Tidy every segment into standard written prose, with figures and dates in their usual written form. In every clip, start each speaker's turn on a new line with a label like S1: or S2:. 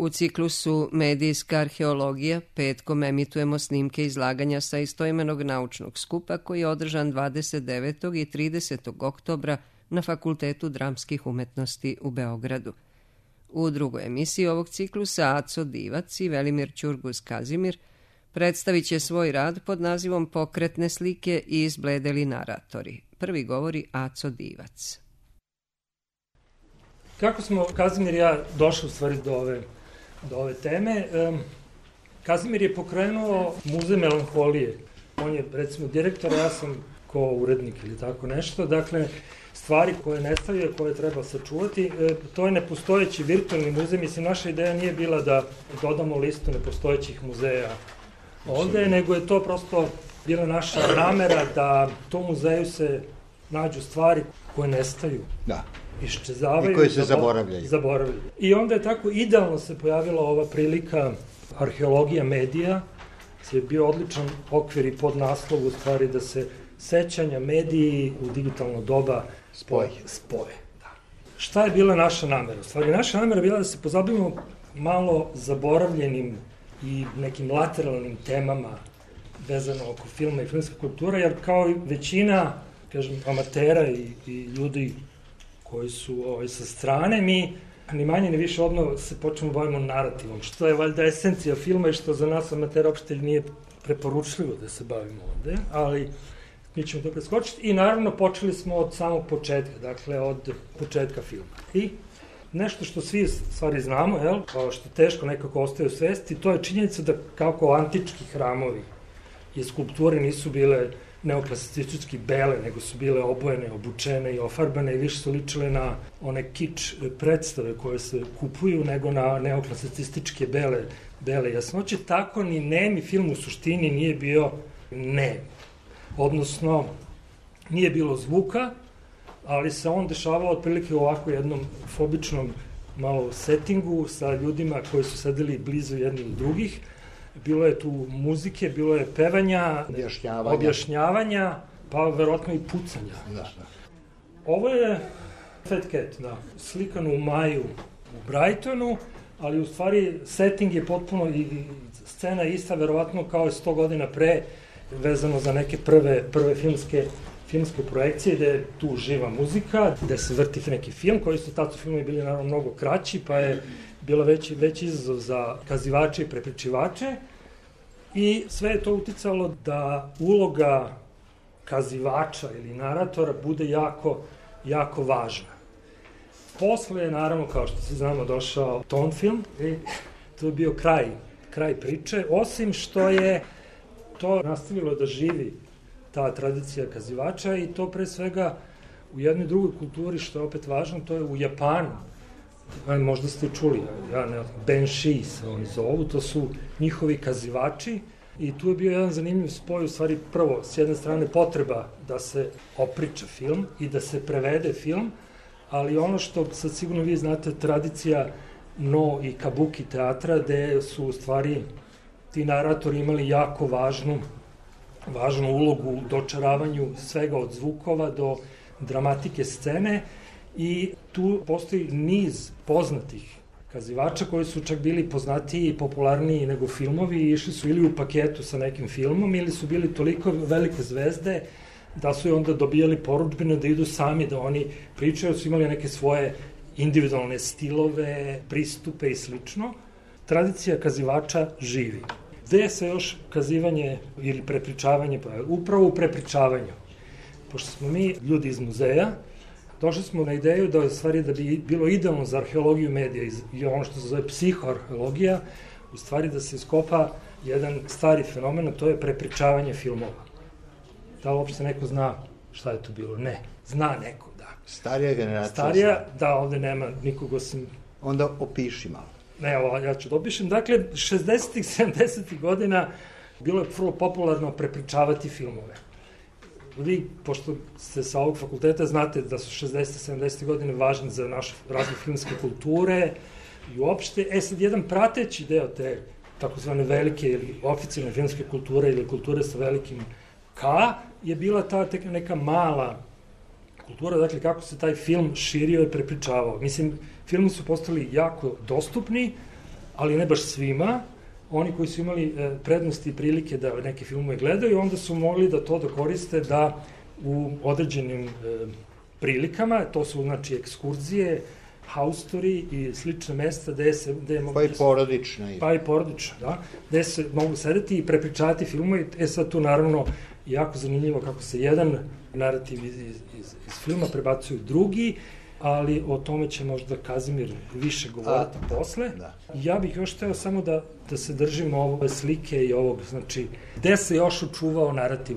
S1: U ciklusu Medijska arheologija petkom emitujemo snimke izlaganja sa istoimenog naučnog skupa koji je održan 29. i 30. oktobra na Fakultetu dramskih umetnosti u Beogradu. U drugoj emisiji ovog ciklusa Aco Divac i Velimir Ćurguz-Kazimir predstavit će svoj rad pod nazivom Pokretne slike i izbledeli naratori. Prvi govori Aco Divac.
S2: Kako smo Kazimir i ja došli u stvari do ove teme? Kazimir je pokrenuo Muzej melanholije. On je recimo direktor, ja sam ko-urednik ili tako nešto. Dakle, stvari koje nestaju, koje treba sačuvati, to je nepostojeći virtualni muzej. Mislim, naša ideja nije bila da dodamo listu nepostojećih muzeja ovde, nego je to prosto bila naša namera da u tom muzeju se nađu stvari koje nestaju.
S3: Da.
S2: Iščezavaju.
S3: I koje se zaboravljaju.
S2: I onda je tako idealno se pojavila ova prilika arheologija medija, je bio odličan okvir i podnaslov u stvari da se sećanja, mediji u digitalno doba spoje. Da. Šta je bila naša namera? U stvari, naša namera je bila da se pozabavimo malo zaboravljenim i nekim lateralnim temama vezano oko filma i filmske kulture, jer kao i većina, kažem, amatera i ljudi koji su sa strane, mi ni manje ni više odmah se počnemo bavimo narativom, što je valjda esencija filma i što za nas amatera uopšte nije preporučljivo da se bavimo ovde, ali mi ćemo to preskočiti. I naravno počeli smo od samog početka, dakle od početka filma. I nešto što svi stvari znamo, što teško nekako ostaje u svesti, to je činjenica da kako antički hramovi i skulpture nisu bile neoklasicistički bele, nego su bile obojene, obučene i ofarbane i više su ličile na one kič predstave koje se kupuju nego na neoklasicističke bele jasnoće. Tako ni nemi film u suštini nije bio nem. Odnosno, nije bilo zvuka, ali se on dešavao otprilike u ovako jednom fobičnom malo settingu sa ljudima koji su sedeli blizu jednih i drugih. Bilo je tu muzike, bilo je pevanja, objašnjavanja, pa verovatno i pucanja. Da. Ovo je Fat Cat, slikano u maju u Brightonu, ali u stvari setting je potpuno i scena ista, verovatno kao je 100 godina pre, vezano za neke prve filmske projekcije, gde je tu živa muzika, gde se vrti neki film, koji su tad filmovi bili naravno mnogo kraći, pa je bilo veći izazov za kazivače i prepričivače i sve je to uticalo da uloga kazivača ili naratora bude jako važna. Posle je, naravno, kao što se znamo, došao ton film i to je bio kraj priče, osim što je to nastavilo da živi ta tradicija kazivača i to pre svega u jednoj drugoj kulturi, što je opet važno, to je u Japanu. Možda ste čuli, Benshi se oni zovu, to su njihovi kazivači i tu je bio jedan zanimljiv spoj, u stvari prvo, s jedne strane potreba da se opriča film i da se prevede film, ali ono što sad sigurno vi znate, tradicija no i kabuki teatra, gde su u stvari ti naratori imali jako važnu ulogu u dočaravanju svega od zvukova do dramatike scene i tu postoji niz poznatih kazivača koji su čak bili poznatiji i popularniji nego filmovi i išli su ili u paketu sa nekim filmom ili su bili toliko velike zvezde da su onda dobijali porudžbine da idu sami, da oni pričaju, su imali neke svoje individualne stilove, pristupe i slično. Tradicija kazivača živi. Gde se još kazivanje ili prepričavanje pojavilo? Upravo u prepričavanju. Pošto smo mi ljudi iz muzeja, došli smo na ideju da u stvari da bi bilo idealno za arheologiju medija i ono što se zove psihoarheologija, u stvari da se iskopa jedan stari fenomen, a to je prepričavanje filmova. Da li uopšte neko zna šta je to bilo? Ne. Zna neko, da.
S3: Starija generacija.
S2: Starija, da, ovde nema nikog osim...
S3: Onda opiši malo.
S2: Ne, ja ću da opišem. Dakle, 60-ih, 70-ih godina bilo je vrlo popularno prepričavati filmove. Vi, pošto ste sa ovog fakulteta, znate da su 60-70 godine važni za naše razne filmske kulture i uopšte. Sad, jedan prateći deo te takozvane velike ili oficijalne filmske kulture ili kulture sa velikim K je bila ta neka mala kultura, dakle kako se taj film širio i prepričavao. Mislim, filmi su postali jako dostupni, ali ne baš svima. Oni koji su imali prednosti i prilike da neke filmove gledaju, onda su mogli da to koriste da u određenim prilikama, to su znači ekskurzije, haustori i slične mesta gde je mogu...
S3: Pa i porodična.
S2: Pa i porodična, da. Gde se mogu sedeti i prepričavati filmove. Sad tu naravno jako zanimljivo kako se jedan narativ iz filma prebacuje u drugi, ali o tome će možda Kazimir više govoriti posle. Da. Ja bih još hteo samo da se držimo ove slike i ovog, znači, gde se još učuvao narativ.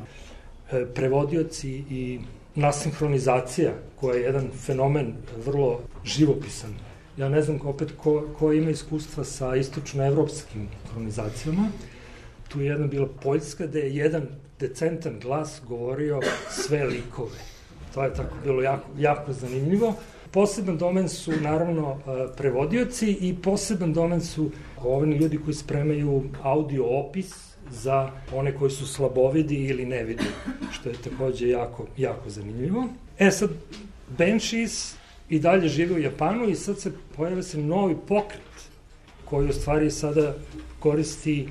S2: Prevodioci i nasinhronizacija, koja je jedan fenomen vrlo živopisan. Ja ne znam opet ko ima iskustva sa istočnoevropskim sinhronizacijama. Tu je jedna bila Poljska, gde je jedan decentan glas govorio sve likove. To je tako bilo jako zanimljivo. Poseban domen su naravno prevodioci i poseban domen su ovini ljudi koji spremaju audio opis za one koji su slabovidi ili nevidi, što je takođe jako zanimljivo. Sad, Banshees i dalje žive u Japanu i sad se pojavlja se novi pokret koji u stvari sada koristi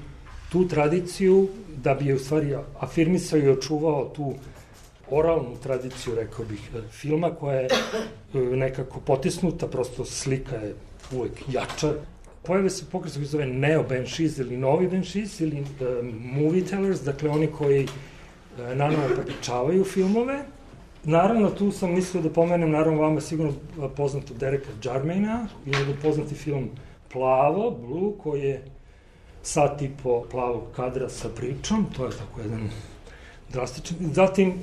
S2: tu tradiciju da bi je u stvari afirmisao i očuvao tu oralnu tradiciju, rekao bih, filma koja je nekako potisnuta, prosto slika je uvek jača. Pojave se pokret koji zove Neo Banshees ili Novi Banshees ili Movie Tellers, dakle oni koji nanovo prepričavaju filmove. Naravno, tu sam mislio da pomenem, naravno vama sigurno poznato Dereka Jarmaina, i njegov poznati film Plavo, Blue, koji je sat i po plavog kadra sa pričom, to je tako jedan drastičan. Zatim,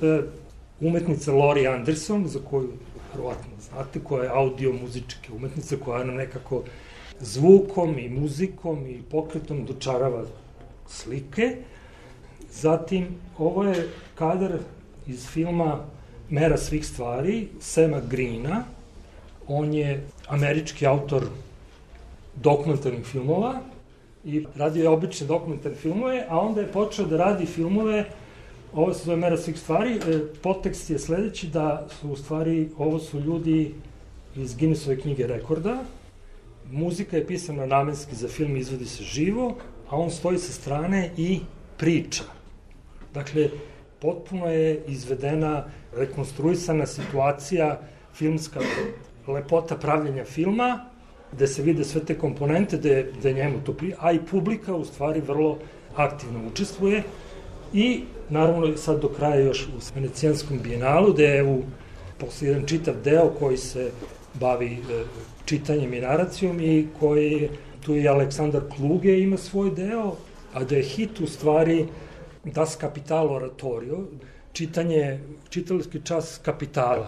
S2: umetnica Laurie Anderson, za koju verovatno znate, koja je audio-muzička umetnica, koja nam nekako zvukom i muzikom i pokretom dočarava slike. Zatim, ovo je kadar iz filma Mera svih stvari, Sema Greena. On je američki autor dokumentarnih filmova i radio je obične dokumentarne filmove, a onda je počeo da radi filmove, ovo se zove Mera svih stvari. Podtekst je sledeći da su u stvari, ovo su ljudi iz Guinnessove knjige rekorda. Muzika je pisana namenski za film, izvodi se živo, a on stoji sa strane i priča. Dakle, potpuno je izvedena, rekonstruisana situacija, filmska lepota pravljenja filma, gde se vide sve te komponente, gde njemu to prije, a i publika u stvari vrlo aktivno učestvuje. I naravno sad do kraja još u Venecijanskom bijenalu, gde je posle jedan čitav deo koji se bavi čitanjem i naracijom i koji, tu je Aleksandar Kluge ima svoj deo, a da je hit u stvari Das Kapital oratorio, čitalički čas kapitala.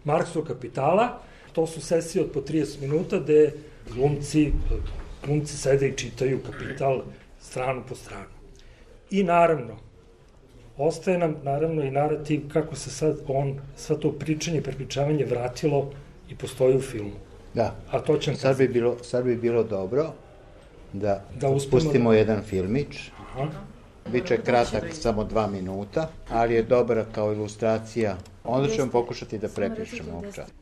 S2: Marksovog kapitala. To su sesije od po 30 minuta gde glumci sede i čitaju Kapital stranu po stranu. I naravno, ostaje nam naravno i narativ kako se sad to pričanje i prepričavanje vratilo i postoji u filmu.
S3: Da, sad bi bilo dobro da pustimo jedan filmić. Biće kratak, samo 2 minuta, ali je dobra kao ilustracija. Onda ćemo pokušati da prepričamo ovog časa.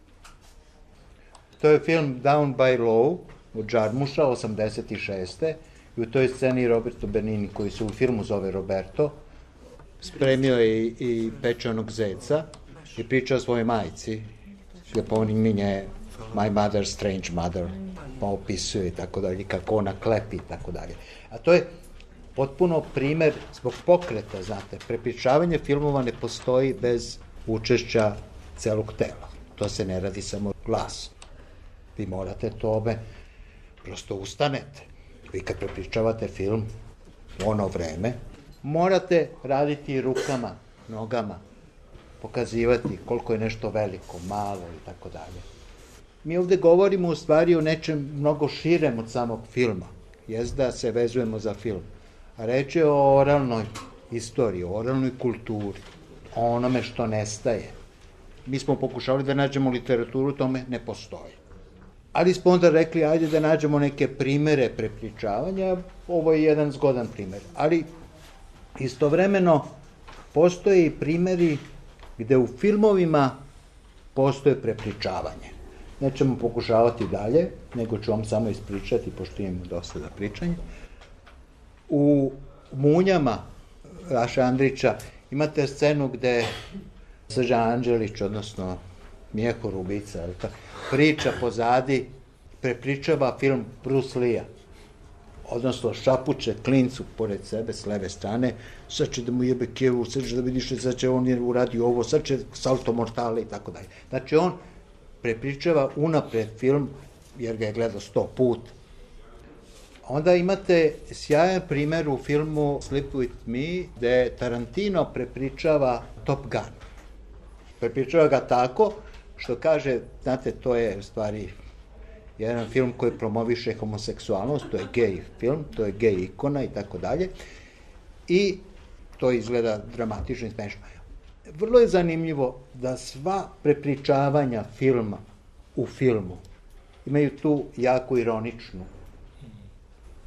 S3: To je film Down by Law od Jarmusha, 86. I u toj sceni Roberto Benigni, koji se u filmu zove Roberto, spremio je i pečenog zeca i pričao svojoj majci. Ga pominje My Mother, Strange Mother, pa opisuje i tako dalje, kako ona klepi i tako dalje. A to je potpuno primer zbog pokreta, znate, prepričavanje filmova ne postoji bez učešća celog tela. To se ne radi samo glas. Vi morate tome, prosto ustanete. Vi kad prepričavate film u ono vreme, morate raditi rukama, nogama, pokazivati koliko je nešto veliko, malo i tako dalje. Mi ovde govorimo u stvari o nečem mnogo širem od samog filma. Jest da se vezujemo za film. A reč je o oralnoj istoriji, o oralnoj kulturi, o onome što nestaje. Mi smo pokušali da nađemo literaturu, tome ne postoji. Ali smo onda rekli, ajde da nađemo neke primere prepričavanja, ovo je jedan zgodan primer. Ali istovremeno postoje i primeri gde u filmovima postoje prepričavanje. nećemo pokušavati dalje, nego ću vam samo ispričati, pošto imamo dosta za pričanje. U Munjama Raša Andrića imate scenu gde Srđan Anđelić, odnosno Mjehur ubica, priča pozadi, prepričava film Bruce Lee-a, odnosno šapuće klincu pored sebe s leve strane, sad će da mu jebe kevu, sad će da vidiš, sad će on uradio ovo, sad će salto mortale i tako dalje. Znači on prepričava unapred film, jer ga je gledao 100 puta. Onda imate sjajan primer u filmu Sleep With Me, gde Tarantino prepričava Top Gun. Prepričava ga tako što kaže, znate, to je u stvari jedan film koji promoviše homoseksualnost, to je gej film, to je gej ikona i tako dalje. I to izgleda dramatično i smešno. Vrlo je zanimljivo da sva prepričavanja filma u filmu imaju tu jako ironičnu,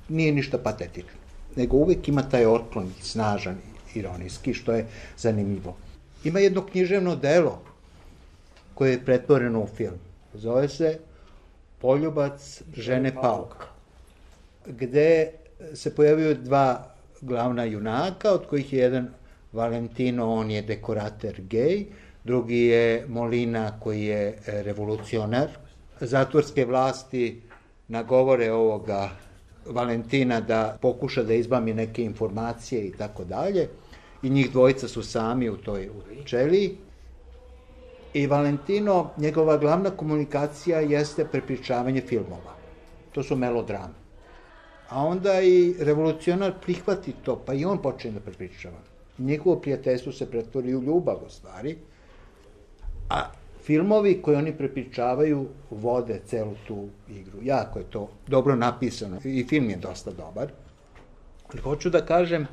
S3: nije ništa patetično, nego uvek ima taj otklon snažan, ironijski, što je zanimljivo. Ima jedno književno delo koje je pretvoreno u film. Zove se Poljubac žene Pauka, gde se pojavljaju dva glavna junaka, od kojih je jedan Valentino, on je dekorater gej, drugi je Molina koji je revolucionar. Zatvorske vlasti nagovore ovoga Valentina da pokuša da izbami neke informacije i tako dalje. I njih dvojica su sami u toj čeliji. I Valentino, njegova glavna komunikacija jeste prepričavanje filmova. To su melodrame. A onda i revolucionar prihvati to, pa i on počne da prepričava. Njihovo prijateljstvo se pretvori u ljubav, u stvari. A filmovi koje oni prepričavaju vode celu tu igru. Jako je to dobro napisano i film je dosta dobar. Ali hoću da kažem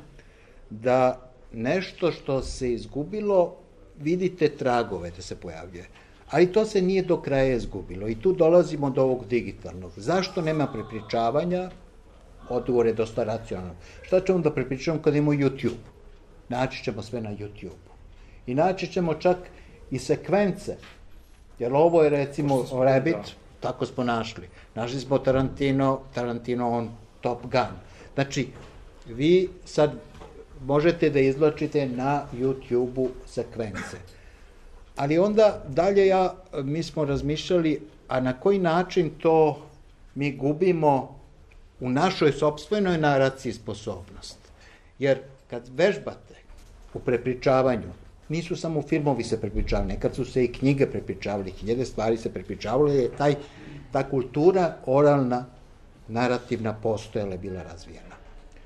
S3: da nešto što se izgubilo, vidite tragove da se pojavljuje. Ali to se nije do kraja izgubilo i tu dolazimo do ovog digitalnog. Zašto nema prepričavanja? Odgovor je dosta racionalno. Šta ćemo da prepričavamo kad imamo YouTube? Naći ćemo sve na YouTube-u. I naći ćemo čak i sekvence. Jer ovo je recimo Rabbit, tako smo našli. Našli smo Tarantino on Top Gun. Znači, vi sad možete da izvlačite na YouTube-u sekvence. Ali onda dalje mi smo razmišljali, a na koji način to mi gubimo u našoj sopstvenoj naraciji sposobnost. Jer kad vežbate u prepričavanju, nisu samo filmovi se prepričavali, nekad su se i knjige prepričavali, hiljade stvari se prepričavali, je ta kultura oralna, narativna postojala je bila razvijena.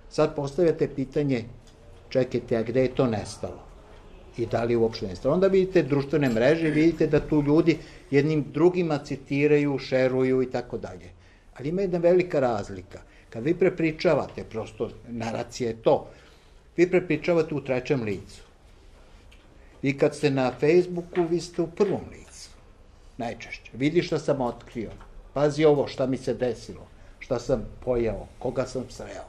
S3: Sad postavljate pitanje, čekajte, a gde je to nestalo? I da li je uopšte nestalo? Onda vidite društvene mreže, vidite da tu ljudi jednim drugima citiraju, šeruju i tako dalje. Ali ima jedna velika razlika. Kad vi prepričavate, prosto naracija je to, vi prepričavate u trećem licu. I kad ste na Facebooku, vi ste u prvom licu. Najčešće. Vidi šta sam otkrio. Pazi ovo, šta mi se desilo. Šta sam pojeo. Koga sam sreo.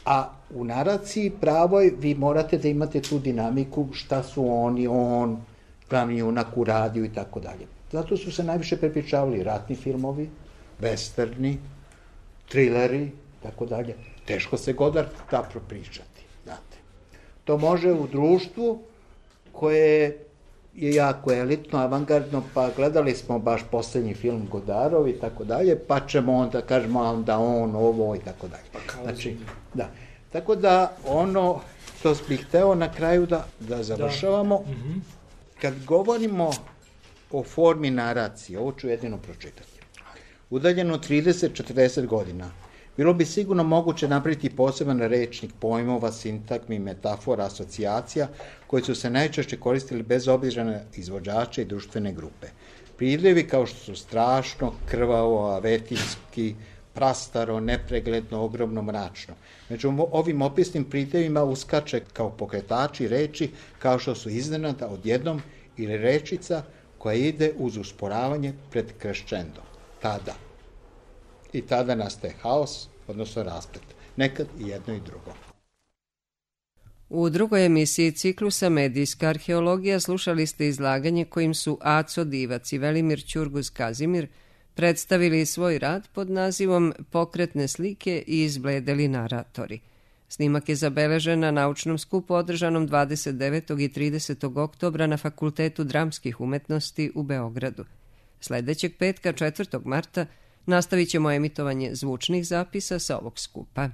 S3: A u naraciji pravoj vi morate da imate tu dinamiku šta su oni, on, glavni junak uradio i tako dalje. Zato su se najviše prepričavali ratni filmovi, westerni, trileri, tako dalje. Teško se Godard da propričati, znate. To može u društvu koje je jako elitno, avangardno, pa gledali smo baš poslednji film Godarov i tako dalje, pa ćemo onda kažemo da on ovo i tako dalje. Znači, da. Tako da ono što bih hteo na kraju da završavamo, kad govorimo o formi naracije, ovo ću jedino pročitati. Udaljeno 30-40 godina, bilo bi sigurno moguće napraviti poseban rečnik pojmova, sintagmi, metafora, asocijacija, koji su se najčešće koristili bez obzira na izvođače i društvene grupe. Pridjevi kao što su strašno, krvavo, avetinski, prastaro, nepregledno, ogromno, mračno. Među ovim opisnim pridjevima uskače kao pokretači reči kao što su iznenada, odjednom ili rečica koja ide uz usporavanje pred kreščendom. Tada. I tada nastaje haos, odnosno rasplet. Nekad i jedno i drugo.
S1: U drugoj emisiji ciklusa Medijska arheologija slušali ste izlaganje kojim su Aco Divac i Velimir Ćurguz-Kazimir predstavili svoj rad pod nazivom Pokretne slike i izbledeli naratori. Snimak je zabeležen na naučnom skupu održanom 29. i 30. oktobra na Fakultetu dramskih umetnosti u Beogradu. Sledećeg petka, 4. marta, nastavit ćemo emitovanje zvučnih zapisa sa ovog skupa.